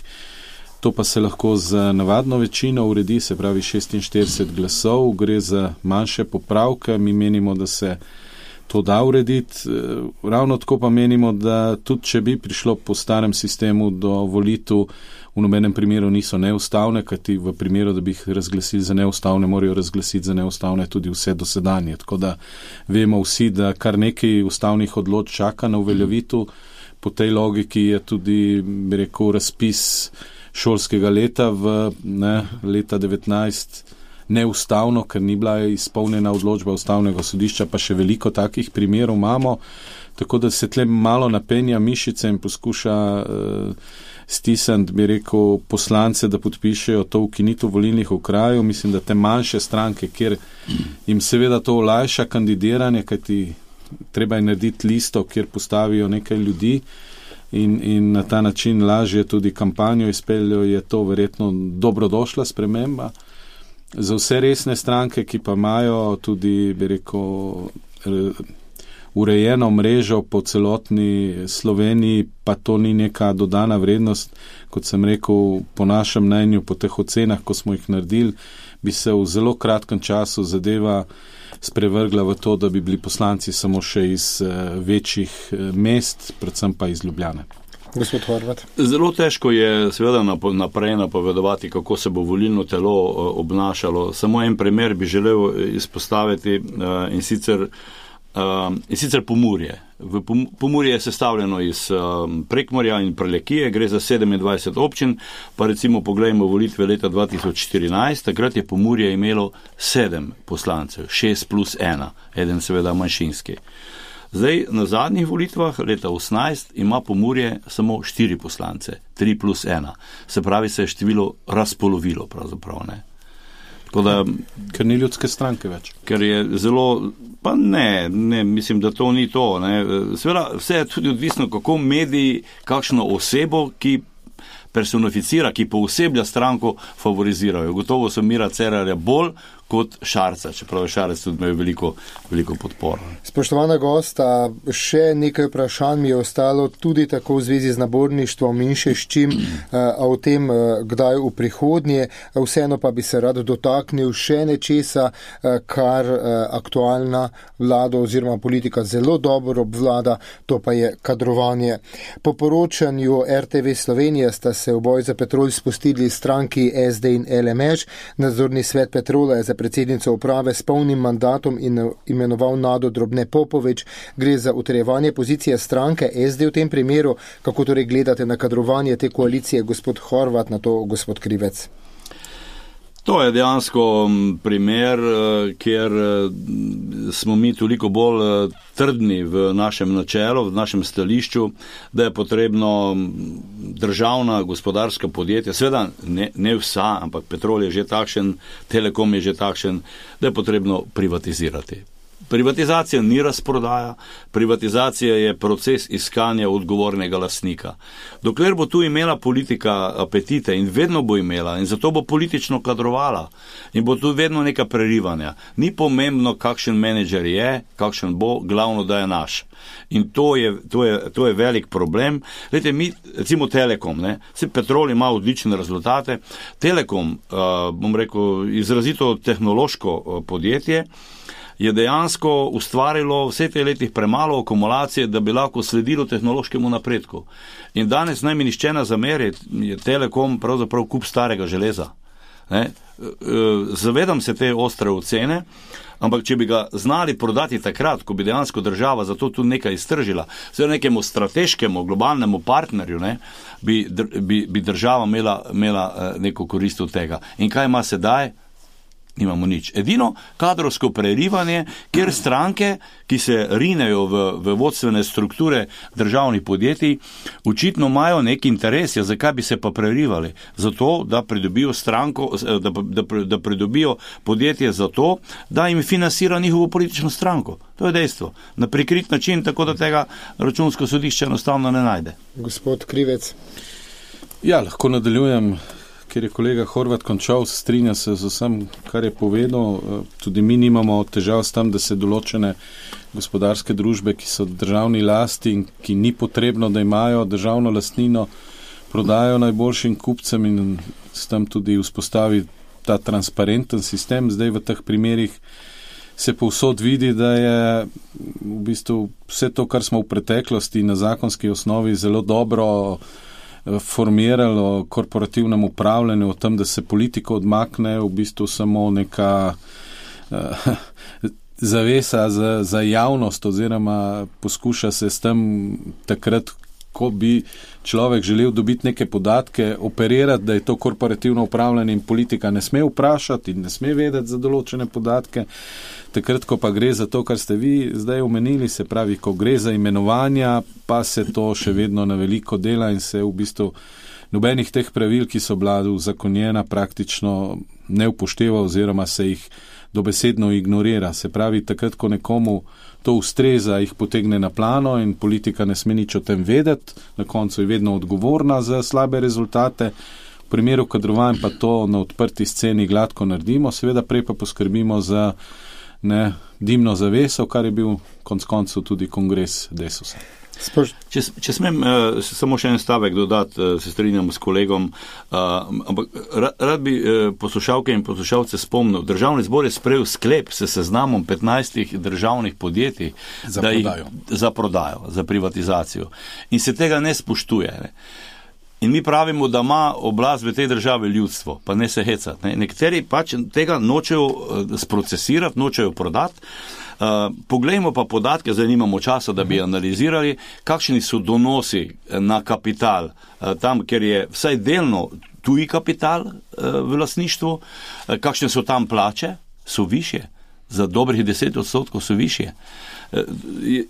To pa se lahko z navadno večino uredi, se pravi šestinštirideset glasov, gre za manjše popravke, mi menimo, da se to da urediti. Ravno tako pa menimo, da tudi če bi prišlo po starem sistemu do volitev, v nobenem primeru niso neustavne, kajti v primeru, da bi jih razglasili za neustavne, morajo razglasiti za neustavne tudi vse dosedanje. Tako da vemo vsi, da kar nekaj ustavnih odločb čaka na uveljavitev. Po tej logiki je tudi, bi rekel, razpis šolskega leta v ne, leta devetnajst neustavno, ker ni bila izpolnjena odločba Ustavnega sodišča, pa še veliko takih primerov imamo, tako da se tle malo napenja mišice in poskuša uh, stisniti, bi rekel, poslance, da podpišejo to ukinitev volilnih okrajev. Mislim, da te manjše stranke, kjer jim seveda to olajša kandidiranje, kajti treba je narediti listo, kjer postavijo nekaj ljudi, In, in na ta način lažje tudi kampanjo izpeljajo, je to verjetno dobrodošla sprememba. Za vse resne stranke, ki pa imajo tudi, bi rekel, urejeno mrežo po celotni Sloveniji, pa to ni neka dodana vrednost, kot sem rekel, po našem mnenju, po teh ocenah, ko smo jih naredili, bi se v zelo kratkem času zadeva sprevrgla v to, da bi bili poslanci samo še iz uh, večjih uh, mest, predvsem pa iz Ljubljane. Gospod Horvat. Zelo težko je seveda naprej napovedovati, kako se bo volilno telo uh, obnašalo. Samo en primer bi želel izpostaviti uh, in sicer Uh, in sicer Pomurje. V Pomurje je sestavljeno iz uh, Prekmurja in Prlekije, gre za sedemindvajset občin, pa recimo pogledajmo volitve leta dva tisoč štirinajst, takrat je Pomurje imelo sedem poslancev, šest plus ena, eden seveda manjšinski. Zdaj, na zadnjih volitvah leta osemnajst ima Pomurje samo štiri poslance, tri plus ena. Se pravi, se je število razpolovilo pravzaprav, ne. Da, ker ni ljudske stranke več. Ker je zelo, pa ne, ne, mislim, da to ni to. Ne. Seveda, vse je tudi odvisno, kako mediji, kakšno osebo, ki personificira, ki pooseblja stranko, favorizirajo. Gotovo so Mira Cerarja bolj kot Šarca, čeprav je Šarec tudi imel veliko, veliko podporo. Spoštovana gosta, še nekaj vprašanj mi je ostalo tudi tako v zvezi z naborništvom in še s čim, a o tem, kdaj v prihodnje. Vseeno pa bi se rad dotaknil še nečesa, kar aktualna vlada oziroma politika zelo dobro obvlada, to pa je kadrovanje. Po poročanju R T V Slovenije sta se v boj za Petrol spustili stranki S D in L M Š. Nadzorni svet Petrola je za predsednico uprave s polnim mandatom in imenoval Nado Drobne Popovič. Gre za utrjevanje pozicije stranke S D v tem primeru. Kako torej gledate na kadrovanje te koalicije, gospod Horvat, na to gospod Krivec? To je dejansko primer, kjer smo mi toliko bolj trdni v našem načelu, v našem stališču, da je potrebno državna gospodarska podjetja, seveda ne, ne vsa, ampak Petrol je že takšen, Telekom je že takšen, da je potrebno privatizirati. Privatizacija ni razprodaja, privatizacija je proces iskanja odgovornega lastnika. Dokler bo tu imela politika apetite in vedno bo imela in zato bo politično kadrovala in bo tu vedno neka prerivanja. Ni pomembno, kakšen menedžer je, kakšen bo, glavno, da je naš. In to je, to je, to je velik problem. Glejte, mi, recimo Telekom, ne, se Petrol ima odlične rezultate. Telekom, uh, bom rekel, izrazito tehnološko uh, podjetje, je dejansko ustvarilo vse te letih premalo akumulacije, da bi lahko sledilo tehnološkemu napredku. In danes naj mi nišče ne zameri, je Telekom pravzaprav kup starega železa. Ne? Zavedam se te ostre ocene, ampak če bi ga znali prodati takrat, ko bi dejansko država za to tudi nekaj iztržila, vse nekemu strateškemu, globalnemu partnerju, ne, bi, bi, bi država imela, imela neko korist od tega. In kaj ima sedaj? Nimamo nič. Edino kadrovsko prerivanje, kjer stranke, ki se rinejo v, v vodstvene strukture državnih podjetij, očitno imajo nek interes, ja, zakaj bi se pa prerivali? Zato, da pridobijo stranko, da, da, da pridobijo podjetje zato, da jim financira njihovo politično stranko. To je dejstvo. Na prikrit način, tako da tega računsko sodišče enostavno ne najde. Gospod Krivec. Ja, lahko nadaljujem. Ker je kolega Horvat končal, strinja se z vsem, kar je povedal. Tudi mi nimamo težav s tem, da se določene gospodarske družbe, ki so državni lasti in ki ni potrebno, da imajo državno lastnino, prodajo najboljšim kupcem in s tem tudi vzpostavi ta transparenten sistem. Zdaj v teh primerih se povsod vidi, da je v bistvu vse to, kar smo v preteklosti na zakonski osnovi zelo dobro formiralo o korporativnem upravljanju, o tem, da se politiko odmakne, v bistvu samo neka uh, zavesa za, za javnost oziroma poskuša se s tem takrat, ko bi človek želel dobiti neke podatke, operirati, da je to korporativno upravljanje in politika ne sme vprašati in ne sme vedeti za določene podatke. Takrat, ko pa gre za to, kar ste vi zdaj omenili, se pravi, ko gre za imenovanja, pa se to še vedno na veliko dela in se v bistvu nobenih teh pravil, ki so bila uzakonjena, praktično ne upošteva oziroma se jih dobesedno ignorira. Se pravi, takrat, ko nekomu to ustreza, jih potegne na plano in politika ne sme nič o tem vedeti, na koncu je vedno odgovorna za slabe rezultate. V primeru kadrovanj pa to na odprti sceni gladko naredimo, seveda prej pa poskrbimo za ne, dimno zaveso, kar je bil konc koncev tudi kongres Desusa. Če, če smem uh, samo še en stavek dodati, uh, se strinjam s kolegom, uh, ampak rad, rad bi uh, poslušalke in poslušalce spomnil, Državni zbor je sprejel sklep s seznamom petnajstih državnih podjetij za, da prodajo. Jih, za prodajo, za privatizacijo. In se tega ne spoštuje. Ne? In mi pravimo, da ima oblast v tej državi ljudstvo, pa ne se hecati. Ne? Nekateri pač tega nočejo uh, sprocesirati, nočejo prodati. Uh, poglejmo pa podatke, zdaj nimamo časa, da bi analizirali, kakšni so donosi na kapital, uh, tam, kjer je vsaj delno tuji kapital uh, v lastništvu, uh, kakšne so tam plače, so višje, za dobrih deset odstotkov so višje. Uh,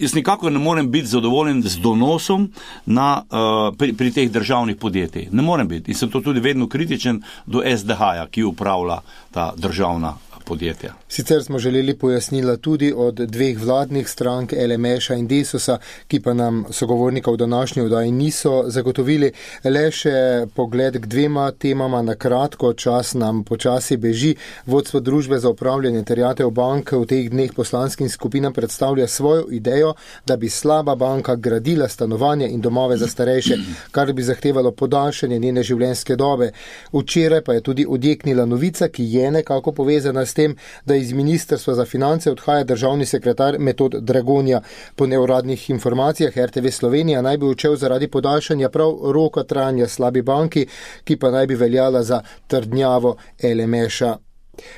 jaz nikako ne morem biti zadovoljen z donosom na, uh, pri, pri teh državnih podjetij. Ne morem biti. In sem to tudi vedno kritičen do S D H-ja, ki upravlja ta državna podjetja. Sicer smo želeli pojasnila tudi od dveh vladnih strank, L M Š-a in Desusa, ki pa nam sogovornika v današnji oddaji niso zagotovili. Le še pogled k dvema temama na kratko, čas nam počasi beži. Vodstvo družbe za upravljanje terjatev bank v teh dneh poslanskim skupinam predstavlja svojo idejo, da bi slaba banka gradila stanovanja in domove za starejše, kar bi zahtevalo podaljšanje njene življenjske dobe. Včeraj pa je tudi odjeknila novica, ki je nekako povezana s tem, da iz Ministrstva za finance odhaja državni sekretar Metod Dragonja. Po neuradnih informacijah R T V Slovenija naj bi odšel zaradi podaljšanja prav roka trajanja slabi banki, ki pa naj bi veljala za trdnjavo L M Š-a.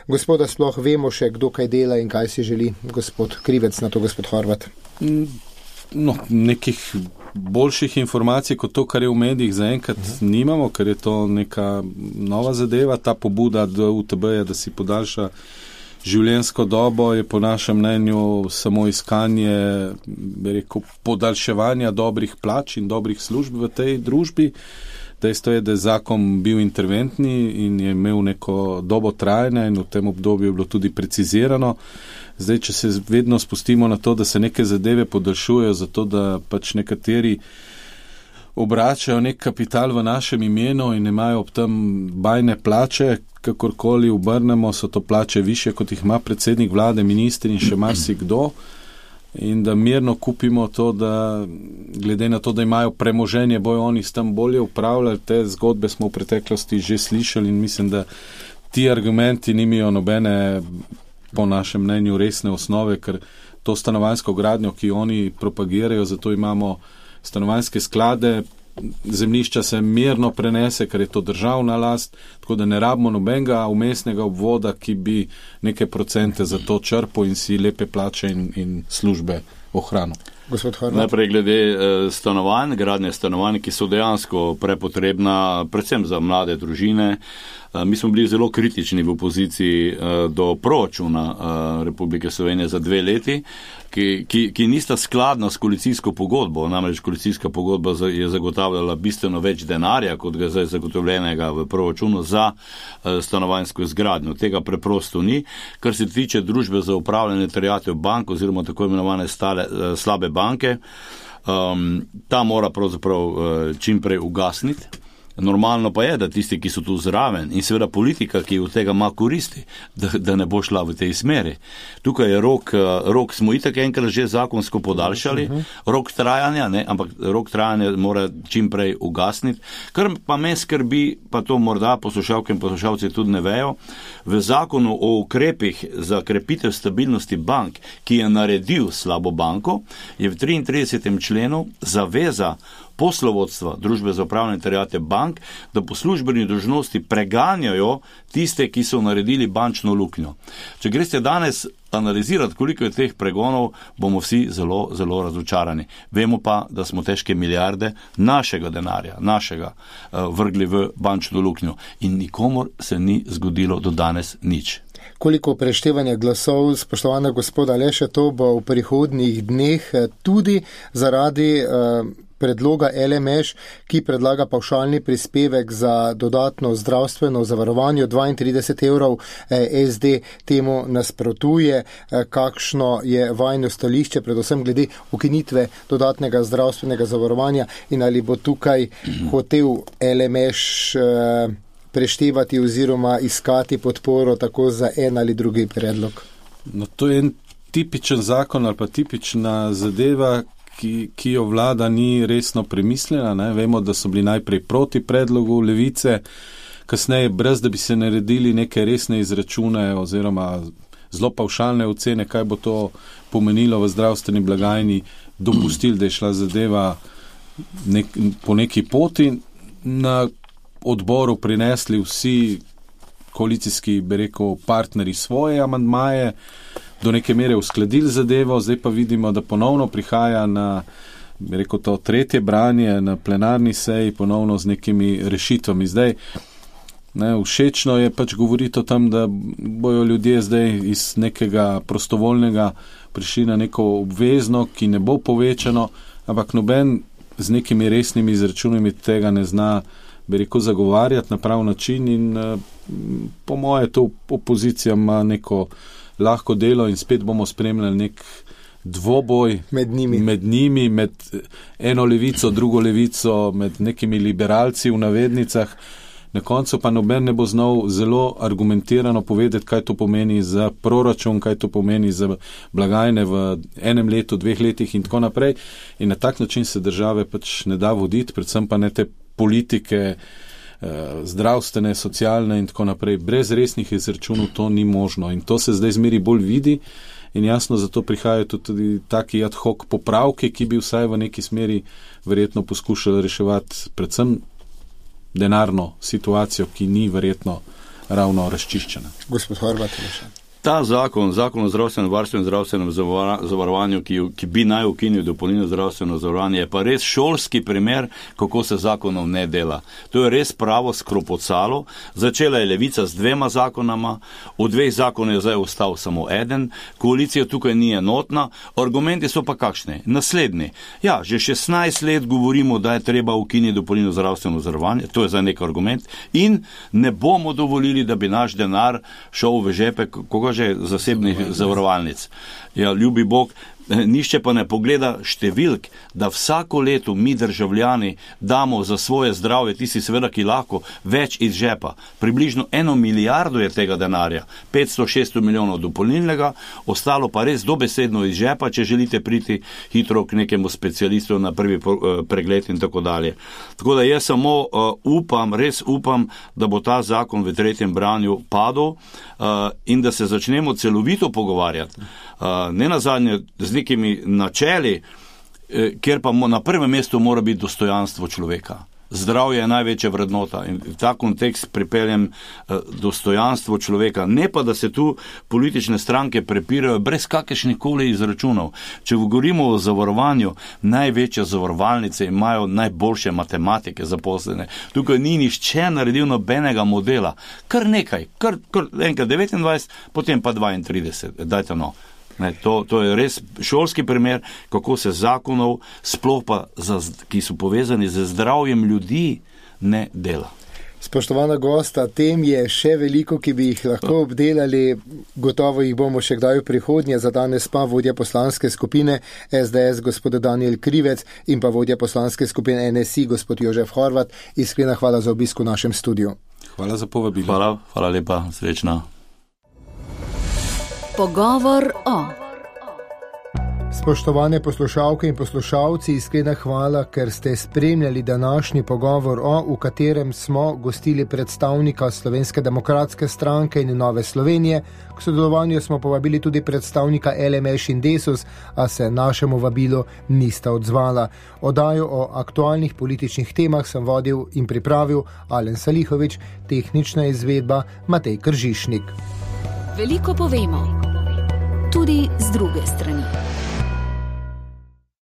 Gospoda, sploh vemo še, kdo kaj dela in kaj si želi? Gospod Krivec, na to gospod Horvat. No, nekih boljših informacij kot to, kar je v medijih zaenkrat uh-huh. nimamo, ker je to neka nova zadeva. Ta pobuda do U T B-ja, da si podaljša življenjsko dobo, je po našem mnenju samo iskanje, bi rekel, podaljševanja dobrih plač in dobrih služb v tej družbi. Dejstvo je, da je zakon bil interventni in je imel neko dobo trajanja in v tem obdobju je bilo tudi precizirano. Zdaj, če se vedno spustimo na to, da se neke zadeve podaljšujejo, zato da pač nekateri obračajo nek kapital v našem imenu in imajo ob tem bajne plače, kakorkoli obrnemo, so to plače više, kot jih ima predsednik vlade, ministri in še marsikdo. In da mirno kupimo to, da glede na to, da imajo premoženje, bojo oni s tem bolje upravljali. Te zgodbe smo v preteklosti že slišali in mislim, da ti argumenti nimajo nobene, po našem mnenju, resne osnove, ker to stanovanjsko gradnjo, ki oni propagirajo, zato imamo stanovanjske sklade, zemljišča se mirno prenese, ker je to državna last, tako da ne rabimo nobenega umestnega obvoda, ki bi neke procente za to črpal in si lepe plače in, in službe ohranil. Najprej glede eh, stanovanj, gradnje stanovanj, ki so dejansko prepotrebna, predvsem za mlade družine. Eh, mi smo bili zelo kritični v opoziciji eh, do proračuna eh, Republike Slovenije za dve leti, ki, ki, ki nista skladna s koalicijsko pogodbo. Namreč koalicijska pogodba je zagotavljala bistveno več denarja, kot ga zdaj zagotovljenega v proračunu za eh, stanovanjsko izgradnjo. Tega preprosto ni. Kar se tiče družbe za upravljanje terjatev bank oziroma tako imenovane stale, eh, slabe banke, um, ta mora pravzaprav uh, čimprej ugasniti. Normalno pa je, da tisti, ki so tu zraven in seveda politika, ki od tega ima koristi, da, da ne bo šla v tej smeri. Tukaj je rok, rok smo itak enkrat že zakonsko podaljšali, rok trajanja, ne, ampak rok trajanja mora čim prej ugasniti. Kar pa me skrbi, pa to morda poslušalke in poslušalci tudi ne vejo, v zakonu o ukrepih za krepitev stabilnosti bank, ki je naredil slabo banko, je v triintridesetem členu zaveza poslovodstva družbe za upravljanje terjatev bank, da po službeni dolžnosti preganjajo tiste, ki so naredili bančno luknjo. Če greste danes analizirati, koliko je teh pregonov, bomo vsi zelo, zelo razočarani. Vemo pa, da smo težke milijarde našega denarja, našega, vrgli v bančno luknjo. In nikomor se ni zgodilo do danes nič. Koliko preštevanja glasov, spoštovana gospoda Aleša, to bo v prihodnjih dneh tudi zaradi uh, predloga L M Š, ki predlaga pavšalni prispevek za dodatno zdravstveno zavarovanje dvaintrideset evrov, S D temu nasprotuje. Kakšno je vajno stališče, predvsem glede ukinitve dodatnega zdravstvenega zavarovanja in ali bo tukaj hotel L M Š preštevati oziroma iskati podporo tako za en ali drugi predlog? No, to je en tipičen zakon ali pa tipična zadeva, Ki, ki jo vlada ni resno premislila. Ne? Vemo, da so bili najprej proti predlogu Levice, kasneje brez, da bi se naredili neke resne izračune oziroma zelo pavšalne ocene, kaj bo to pomenilo v zdravstveni blagajni, dopustili, da je šla zadeva nek, po neki poti. Na odboru prinesli vsi koalicijski, bi rekel, partnerji svoje amandmaje, do neke mere uskladili zadevo, zdaj pa vidimo, da ponovno prihaja na, bi rekel, to tretje branje na plenarni seji, ponovno z nekimi rešitvami. Zdaj, ne, všečno je pač govoriti o tem, da bojo ljudje zdaj iz nekega prostovoljnega prišli na neko obvezno, ki ne bo povečano, ampak noben z nekimi resnimi izračunami tega ne zna, bi rekel, zagovarjati na prav način in po moje to opozicija ima neko lahko delo in spet bomo spremljali nek dvoboj med njimi. med njimi, med eno levico, drugo levico, med nekimi liberalci v navednicah. Na koncu pa noben ne bo znal zelo argumentirano povedati, kaj to pomeni za proračun, kaj to pomeni za blagajne v enem letu, dveh letih in tako naprej. In na tak način se države pač ne da voditi, predvsem pa ne te politike, zdravstvene, socialne in tako naprej. Brez resnih izračunov to ni možno in to se zdaj zmeri bolj vidi in jasno zato prihajajo tudi taki ad hoc popravki, ki bi vsaj v neki smeri verjetno poskušali reševati predvsem denarno situacijo, ki ni verjetno ravno razčiščena. Gospod Horvat. Ta zakon, zakon o zdravstvenem varstvu in zdravstvenem zavarovanju, ki, ki bi naj ukinil dopolnilno zdravstveno zavarovanje, je pa res šolski primer, kako se zakonov ne dela. To je res pravo skropocalo. Začela je Levica z dvema zakonama, od dveh zakonov je zdaj ostal samo eden, koalicija tukaj ni enotna, argumenti so pa kakšni? Naslednji. Ja, že šestnajst let govorimo, da je treba ukiniti dopolnilno zdravstveno zavarovanje, to je za nek argument, in ne bomo dovolili, da bi naš denar šel v žepe, koga že zasebnih zavarovalnic. Ja, ljubi Bog, nišče pa ne pogleda številk, da vsako leto mi državljani damo za svoje zdravje, tisti seveda, ki lahko, več iz žepa. Približno eno milijardo je tega denarja, petsto šeststo milijonov dopolnilnega, ostalo pa res dobesedno iz žepa, če želite priti hitro k nekemu specialistu na prvi pregled in tako dalje. Tako da jaz samo uh, upam, res upam, da bo ta zakon v tretjem branju padel uh, in da se začnemo celovito pogovarjati. Uh, ne nazadnje z nekimi načeli, eh, kjer pa mo, na prvem mestu mora biti dostojanstvo človeka. Zdravje je največja vrednota in v ta kontekst pripeljem eh, dostojanstvo človeka. Ne pa, da se tu politične stranke prepirajo brez kakršnih koli izračunov. Če govorimo o zavarovanju, največje zavarovalnice imajo najboljše matematike zaposlene. Tukaj ni nišče naredil nobenega modela. Kar nekaj, kar, kar enkrat devetindvajset, potem pa dvaintrideset. Dajte no. Ne, to, to je res šolski primer, kako se zakonov, sploh pa, za, ki so povezani z zdravjem ljudi, ne dela. Spoštovana gosta, tem je še veliko, ki bi jih lahko obdelali, gotovo jih bomo še kdaj v prihodnje, za danes pa vodja poslanske skupine S D S gospod Danijel Krivec in pa vodja poslanske skupine N S I gospod Jožef Horvat. Iskrena hvala za obisk v našem studiu. Hvala za povabilo. Hvala, hvala lepa, srečna. Pogovor o. Spoštovane poslušalke in poslušalci, iskrena hvala, ker ste spremljali današnji pogovor o, v katerem smo gostili predstavnika Slovenske demokratske stranke in Nove Slovenije. K sodelovanju smo povabili tudi predstavnika L M Š in Desus, a se našemu vabilu nista odzvala. Oddajo o aktualnih političnih temah sem vodil in pripravil Alen Salihovič, tehnična izvedba Matej Kržišnik. Veliko povemo, tudi z druge strani.